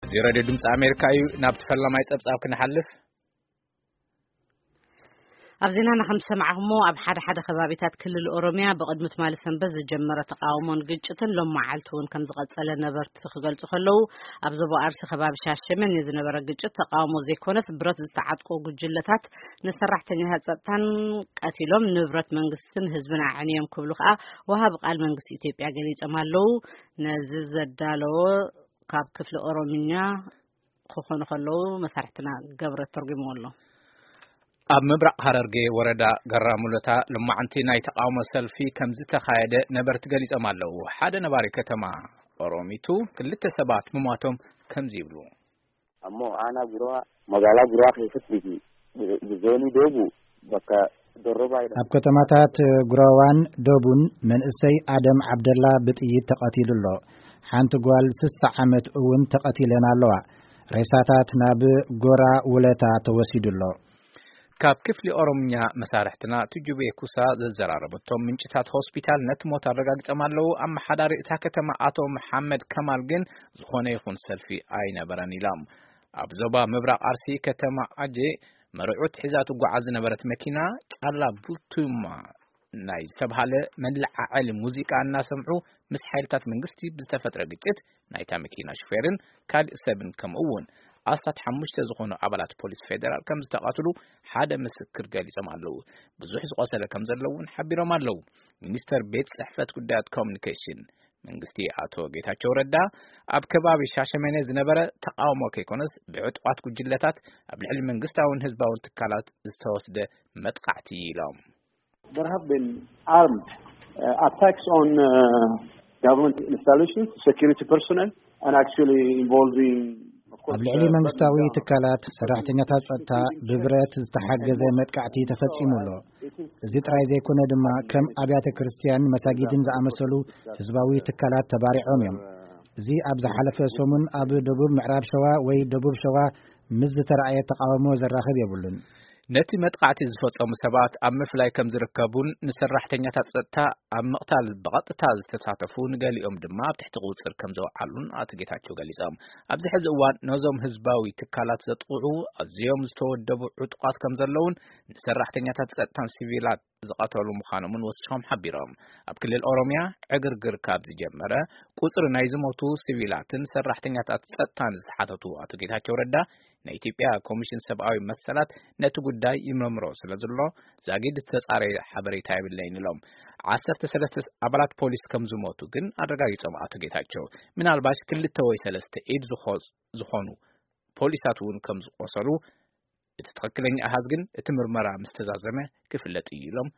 እዚ ሬድዮ ድምፂ ኣሜሪካ እዩ። ናብቲ ፈላማይ ፀብፃብ ክንሓልፍ። ኣብ ዜናና ከም ዝሰማዕኹሞ፣ ኣብ ሓደ ሓደ ከባቢታት ክልል ኦሮሚያ ብቕድሚ ትማሊ ሰንበት ዝጀመረ ተቓውሞን ግጭትን ሎም መዓልቲ እውን ከም ዝቐጸለ ነበርቲ ክገልጹ ከለዉ፣ ኣብ ዞባ ኣርሲ ከባቢ ሻሸመኔ ዝነበረ ግጭት ተቓውሞ ዘይኮነስ ብረት ዝተዓጥቁ ጉጅለታት ንሰራሕተኛታት ጸጥታን ቀቲሎም፣ ንብረት መንግስትን ህዝብን ኣዕንዮም ክብሉ ከኣ ወሃቢ ቃል መንግስቲ ኢትዮጵያ ገሊጾም ኣለዉ። ነዚ ዘዳለዎ ካብ ክፍሊ ኦሮምኛ ክኾኑ ከለዉ መሳርሕትና ገብረ ተርጉምዎ ኣሎ። ኣብ ምብራቕ ሃረርጌ ወረዳ ገራ ሙለታ ልማዕንቲ ናይ ተቃውሞ ሰልፊ ከም ዝተኻየደ ነበርቲ ገሊጾም ኣለዉ። ሓደ ነባሪ ከተማ ኦሮሚቱ ክልተ ሰባት ምሟቶም ከምዚ ይብሉ። Ammoo aanaa Guraa magaalaa Guraa keessatti zoonii Doobu bakka Dorrobaa jedhamu. ኣብ ከተማታት ጉራዋን ዶቡን መንእሰይ ኣደም ዓብደላ ብጥይት ተቐቲሉ ኣሎ። ሓንቲ ጓል ስሳ ዓመት እውን ተቐቲለን ኣለዋ። ሬሳታት ናብ ጎራ ውለታ ተወሲዱ ኣሎ። ካብ ክፍሊ ኦሮምኛ መሳርሕትና ትጁቤ ኩሳ ዘዘራረበቶም ምንጭታት ሆስፒታል ነቲ ሞት ኣረጋግጾም ኣለዉ። ኣመሓዳሪ እታ ከተማ ኣቶ መሓመድ ከማል ግን ዝኾነ ይኹን ሰልፊ ኣይነበረን ኢሎም። ኣብ ዞባ ምብራቕ ኣርሲ ከተማ ኣጄ መርዑት ሒዛ ትጓዓዝ ዝነበረት መኪና ጫላ ቡቱማ ናይ ዝተብሃለ መለዓዓሊ ሙዚቃ እናሰምዑ ምስ ሓይልታት መንግስቲ ብዝተፈጥረ ግጭት ናይታ መኪና ሹፌርን ካልእ ሰብን ከምኡ እውን ኣስታት ሓሙሽተ ዝኾኑ ኣባላት ፖሊስ ፌደራል ከም ዝተቐትሉ ሓደ ምስክር ገሊጾም ኣለዉ። ብዙሕ ዝቆሰለ ከም ዘሎ እውን ሓቢሮም ኣለዉ። ሚኒስተር ቤት ጽሕፈት ጉዳያት ኮሚኒኬሽን መንግስቲ ኣቶ ጌታቸው ረዳ ኣብ ከባቢ ሻሸመኔ ዝነበረ ተቃውሞ ከይኮነስ ብዕጡቓት ጉጅለታት ኣብ ልዕሊ መንግስታውን ህዝባውን ትካላት ዝተወስደ መጥቃዕቲ ኢሎም። There have been armed uh, attacks on uh, government installations, security personnel, and actually involving, of course, ኣብ ልዕሊ uh, መንግስታዊ burning down ትካላት ሰራሕተኛታት ጸጥታ ብብረት ዝተሓገዘ መጥቃዕቲ ተፈጺሙ ኣሎ። እዚ ጥራይ ዘይኮነ ድማ ከም ኣብያተ ክርስቲያን፣ መሳጊድን ዝኣመሰሉ ህዝባዊ ትካላት ተባሪዖም እዮም። እዚ ኣብ ዝሓለፈ ሰሙን ኣብ ደቡብ ምዕራብ ሸዋ ወይ ደቡብ ሸዋ ምስ ዝተራእየ ተቃውሞ ዘራኽብ የብሉን። ነቲ መጥቃዕቲ ዝፈጸሙ ሰባት ኣብ ምፍላይ ከም ዝርከቡን ንሰራሕተኛታት ጸጥታ ኣብ ምቕታል ብቐጥታ ዝተሳተፉ ንገሊኦም ድማ ኣብ ትሕቲ ቁጽር ከም ዘውዓሉን ኣቶ ጌታቸው ገሊጾም። ኣብዚ ሕዚ እዋን ነዞም ህዝባዊ ትካላት ዘጥቕዑ ኣዝዮም ዝተወደቡ ዕጡቓት ከም ዘለውን ንሰራሕተኛታት ጸጥታን ሲቪላት ዝቐተሉ ምዃኖምን ወሲኾም ሓቢሮም። ኣብ ክልል ኦሮሚያ ዕግርግር ካብ ዝጀመረ ቁጽሪ ናይ ዝሞቱ ሲቪላትን ሰራሕተኛታት ጸጥታን ዝተሓተቱ ኣቶ ጌታቸው ረዳ ናይ ኢትዮጵያ ኮሚሽን ሰብኣዊ መሰላት ነቲ ጉዳይ ይመርምሮ ስለ ዘሎ ዛጊድ ዝተጻረየ ሓበሬታ የብለይን ኢሎም። ዓሰርተ ሰለስተ ኣባላት ፖሊስ ከም ዝሞቱ ግን ኣረጋጊጾም ኣቶ ጌታቸው። ምናልባሽ ክልተ ወይ ሰለስተ ኢድ ዝኾ-፣ ዝኾኑ ፖሊሳት እውን ከም ዝቆሰሉ እቲ ትኽክለኛ ኣሃዝ ግን እቲ ምርመራ ምስ ተዛዘመ ክፍለጥ እዩ ኢሎም